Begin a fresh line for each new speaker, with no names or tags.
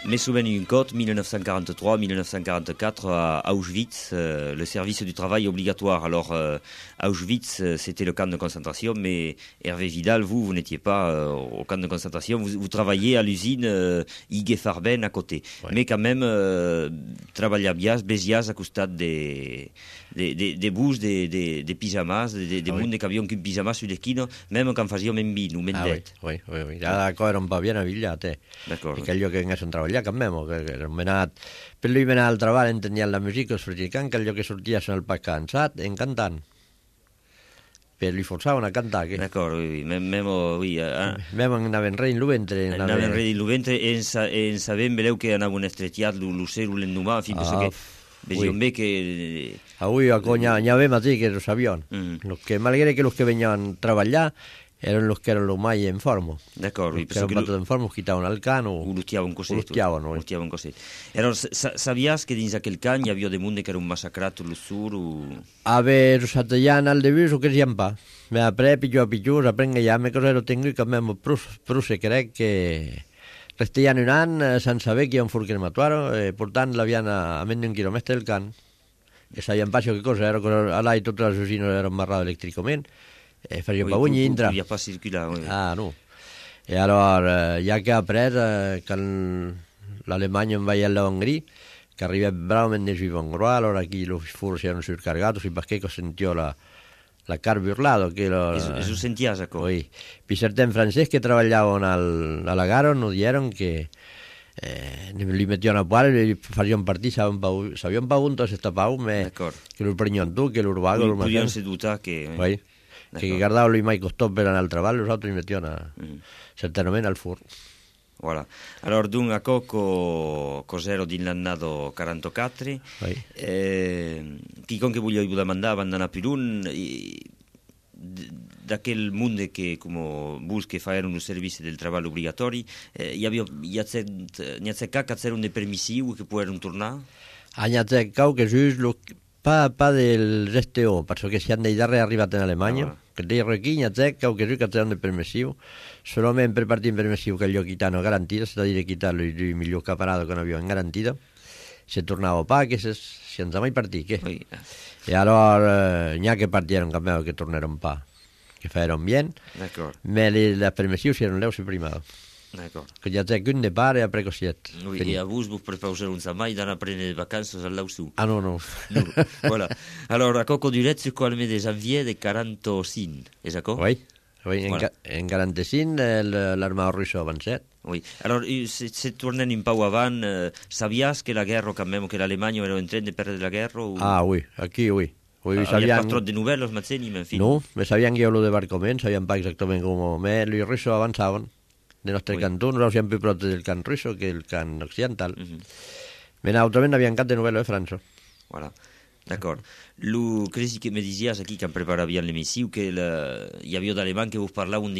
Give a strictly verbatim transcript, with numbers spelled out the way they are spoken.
Mais souvent une cote, mille neuf cent quarante-trois mille neuf cent quarante-quatre à Auschwitz, euh, le service du travail obligatoire. Alors, euh, Auschwitz, c'était le camp de concentration, mais Hervé Vidal, vous, vous n'étiez pas euh, au camp de concentration, vous, vous travailliez à l'usine euh, Ig Farben à côté. Ouais. Mais quand même, euh, travaillabias, besias à costat des, des, des, des bus, des, des, des pyjamas, des, des ah, monde oui. que havien qu'un pyjama sur l'esquina, même quand fàsíem en vino, mendet.
Ah, oui, oui, oui. Ja, era un pa bien avillat, eh.
D'acord.
I que allò que haguessin treballat, que memo, que, que hem anat... Per lui anar al treball entenien la música, es practicant, que allò que sorties al pas cansat, en cantant. Per li forçaven a cantar, que...
D'acord, oui, oui, même, même, oui. Eh,
même anaven rei en lo ventre.
Anaven rei en lo ventre, en, sa, en sabem, veleu que anaven estretiat l'ocero l'endumà, en fi, penso que... Vegíem bé que...
Avui, a conya, n'hi havia matí que los avions. Mm. Los que, malgre que los que venien a treballar, eren los que eren los mai en forma.
D'acord, oui.
Los que eren en forma, quitaven el can o...
O l'hostiaven coset.
O l'hostiaven, oui.
L'hostiaven coset. Alors, sabies que dins aquell can hi havia de monde que era un massacrat tot el sur o...
A ver, os atallan al debut o que sian pa. Me apre, pitjor a pitjor, aprenga ja, me cosero tengo i canvem pruse, crec que... Restian un any sense saber que hi ha un fur crematori, eh, portant l'avian a, a menys d'un quilòmetre del can, que sabien pas que cosa, era allà i totes les usines eren marrades elèctricament, eh, farien pa buny i intra.
Podia pas circular, oui.
Ah, no. I aleshores, ja que ha après, eh, que l'Alemanya en veia l'Hongria, que arriba bravament de Givongroa, allora aquí los furs eren surcargados i perché que sentió la... la carburlado que lo...
Eso, eso sentías, ¿no?
Sí. Pisarte en francés que trabajaban al, a la Garo nos dieron que eh, li metieron a poar i farien partir, sabien pa un tot estapau, me, que l'urprenyon tu, que l'urbago...
Oui, podien ser dotar que...
Sí. Que guardava lui mai costó per anar al treball, los altres li metieron a, mm. certament al fur.
Voilà. Alors, d'un a coco cosero din l'annado quaranta-quatre,
oui.
eh, quiconque volia demandar van anar per un, d'aquell mundo que, com vos que fan un servici del treball obligatori, eh, hi havia, hi ha c'è que c'era un de permissiu que poden tornar?
Ah, n'hi ha c'è que just lo, pa, pa del S T O, perquè si han d'idare arribat en Alemanya, ah. que deia aquí n'hi ha c'è que just que c'era un de permissiu, solament per partir permissiu que allò quitano garantida, s'ha de dir quitar-lo i el millor caparado que no havia en garantida, se tornava pa, que se, si ens mai partir, què?
Oui.
I allora eh, n'hi ha que partieron cambiado que tornaron pa, que faeron bien, me les permissius eren leus i primado.
D'acord.
Que ja té un de pare a precociet.
Oui, i a vos vos prepauseu un samai d'anar a prendre vacances al lau su.
Ah, no, no.
no. Voilà. Alors, a coco duret sur qual mes de janvier de quaranta-cinc, és d'acord?
Oui. Oui, en, voilà. En quaranta-cinc l'armada russa ha avançat.
Oui. Alors, se, se tornen un pau avant, eh, sabies que la guerra, quand même, que l'Alemanya era en train de perdre la guerra? O...
Ah, oui, aquí, oui.
oui ah, sabían... pas trop de novel·les, Mazzeni, en fi.
No, me sabían que lo de Barcoment, sabían pas exactament com... Me, els russos avançaven. De nostre oui. cantó, nosaltres hem più prop del cant russo que el cant occidental. Uh -huh. Men altrament havien cant de novel·la de França.
Voilà, d'acord. Lo que me dizies aquí, que em preparàvem l'emissiu, que la... hi havia d'alemany que vos parlaven